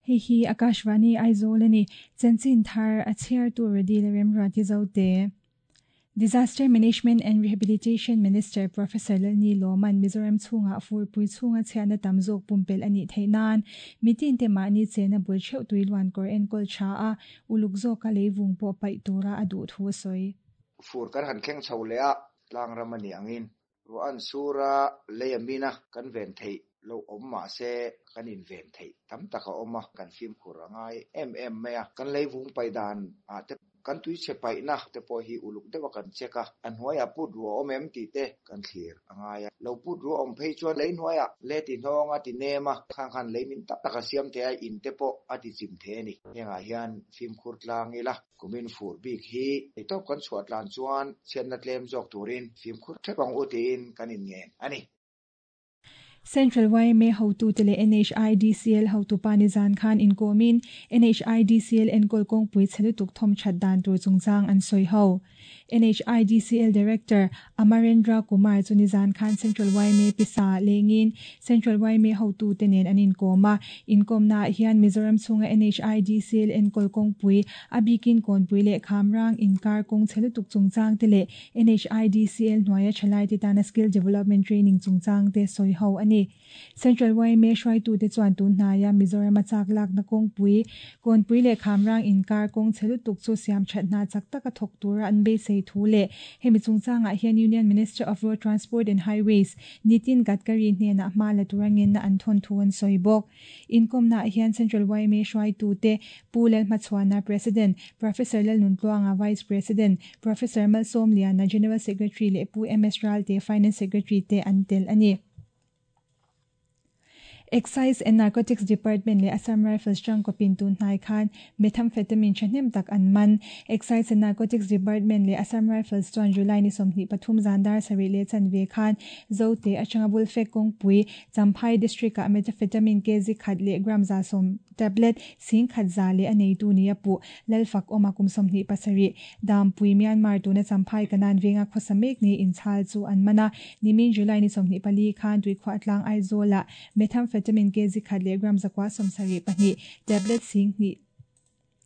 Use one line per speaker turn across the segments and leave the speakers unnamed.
Hei hi Akashvani Aizawl a ni. Chanchin thar a chhiartu Redi leh Remruati Zote. Disaster Management and Rehabilitation Minister Professor Lalni Lawman Mizoram chhungah furpui chhunga chhiatna tam zawk pumpelh a nih theih nan mitin te mahni chena bul theuh tui luan kawr enkawl tha a, uluk zawka leivung pawh paih tura a duh thu a sawi.
Fur kan han thleng chho leh a, tlangram a nih angin Ruah an sur a, lei a min a, kan ven theih loh awm mah se kan inven theih tam tak a awm a, kan fimkhur a ngai em em mai a. Kan lei vung paih dan ah te, kan tuichhe paihna te pawh hi uluk deuh a kan check a, a hnuaiah put ruah awm em tih te kan thlir a ngai a. Lo put ruah awm phei chuan lei hnuaiah le ti hnawng a ti nem a, khang khan lei min tak tak a siam thei a, in te pawh a ti chim thei a ni. Hengah hian fimkhur tlang ila. Kumin fur bik hi eitawp kan chhuah tlan chuan chhiatna tlem zawk turin fimkhur thep ang u tiin kan inngen a ni.
Central yma hotute leh NHIDCL hotupa nizan khan inkawmin NHIDCL enkawl kawngpui chhe lutuk thawm that dan tur chungchang an sawi ho. NHIDCL Director Amarendra Kumar chu nizan khan Central yma pisa lengin Central yma hotute nen an inkawm a. Inkawmnaah hian Mizoram chhunga NHIDCL enkawl kawngpui, a bikin Kawnpui leh Khamrang inkar kawng chhe lutuk chungchang te leh NHIDCL hnuaia thalaite tana skill development training chungchang te sawi ho a ni. Central yma hruaitute chuan tun hnaia Mizorama chak lakna kawngpui, Kawnpui leh Khamrang inkar kawng chhe lutuk chu siam that hna chak taka thawk tura an beisei thu leh hemi chungchangah hian Union Minister of Road Transport and Highways, Nitin Gadkari hnenah hma la tura ngenna an thawn thu an sawi bawk. Inkawmnaah hian Central yma hruaitute Pu Lalhmachhuana, President, Professor Lalnuntluanga, Vice President, Professor Malsawmliana, General Secretary leh Pu MS Ralte, Finance Secretary te an tel a ni. Excise and Narcotics Department leh Assam Rifles tangkawpin tun hnai khan methamphetamine thahnem tak an man. Excise and Narcotics Department leh Assam Rifles chuan July ni 23 zan dar sarih leh chanve khan Zote atanga Bulfek kawngpui Champhai District-ah methamphetamine kg khat leh gram 110 tablet 10,000 za leh a neitu nia puh Lalfak awma kum 27 Dampui Myanmar tuna Champhai Kanan venga khawsa mek ni inchhal chu an man a. Nimin July ni 24 khan Tuikhuah tlang Aizawlah methamphetamine kg khat leh gram 972 tablet 2,000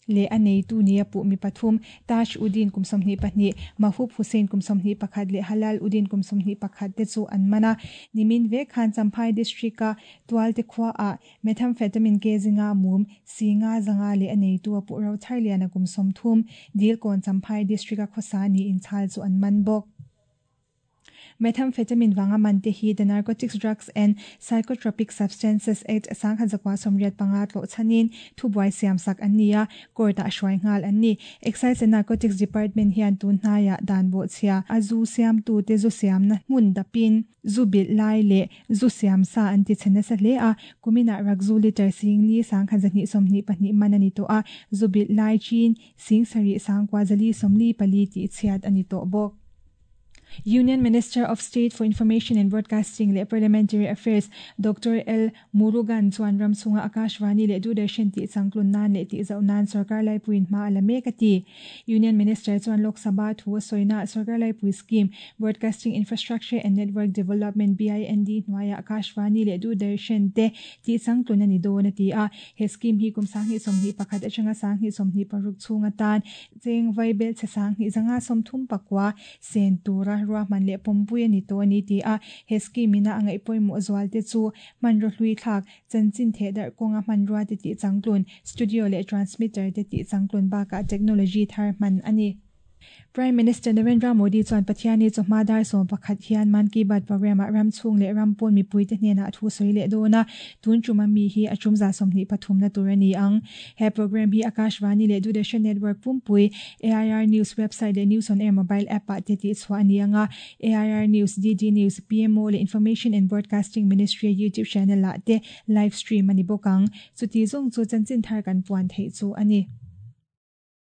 leh a neitu nia puh mi pathum Taj Uddin kum 22, Mahub Hussain kum 21 leh Halal Uddin kum 21 te chu an man a. Nimin vek khan Champhai District-a Tualte khuaah methamphetamine kg nga mum 500 zanga leh a neitu a puh ro Tharliana kum 30, Dilkawn Champhai District-a khawsa ni inchhal chu an man bawk. Methamphetamine wanga man te hi The Narcotics Drugs and Psychotropic Substances Act 1985 tlo chanin thubuai siam sak an nia court-ah hruai nghal an ni. Excise and Narcotics Department hian tun hnaiah dan bawh chhia a zu siam tu te zu siamna hmun dapin zu bilh lai leh zu siam sa an ti chhe nasa hle a, kuminah rakzu liter 4,000 122 man a ni tawh a, zu bilh lai chin 7,000 4,444 tih chhiat a ni tawh bawk. Union Minister of State for Information and Broadcasting leh Parliamentary Affairs Doctor L. Murugan chuan ram chhunga Akashvani leh Doordarshan tih changtlun nan leh tih zauh nan sarkar laipuiin hma a la mek a ti. Union Minister chuan Lok Sabha thu a sawina sarkar laipui scheme Broadcasting Infrastructure and Network Development BIND hnuaiah Akashvani leh Doordarshan te tih changtlun a ni dawn a ti a. He scheme hi kum 2021 atanga 2026 chhung atan Cheng vaibel chhe 2,539 sen tura ruahman leh pawmpui a ni tawh a ni ti a, he scheme ina a ngaih pawimawh zual te chu hmanraw hlui thlak, chanchin theh darh kawnga hmanrua te tih changtlun, studio leh transmitter te tih changtlun bakah technology thar hman a ni. Prime Minister Narendra Modi chuan Pathiani chawhma dar 11 hian Mann Ki Baat programme-ah ram chhung leh ram pawn mipuite hnenah thu sawi leh dawn a, tun ṭuma mi hi a ṭum 23 na tur a ni ang. He programme hi Akashvani leh Doordarshan Network pumpui, AIR News website leh News on Air mobile app-ah te tih chhuah a ni ang a, AIR News, DD News, PMO leh Information and Broadcasting Ministry-a YouTube channel-ah te live stream a ni bawk ang. Chuti zawng chu chanchin thar kan puan theih chu a ni.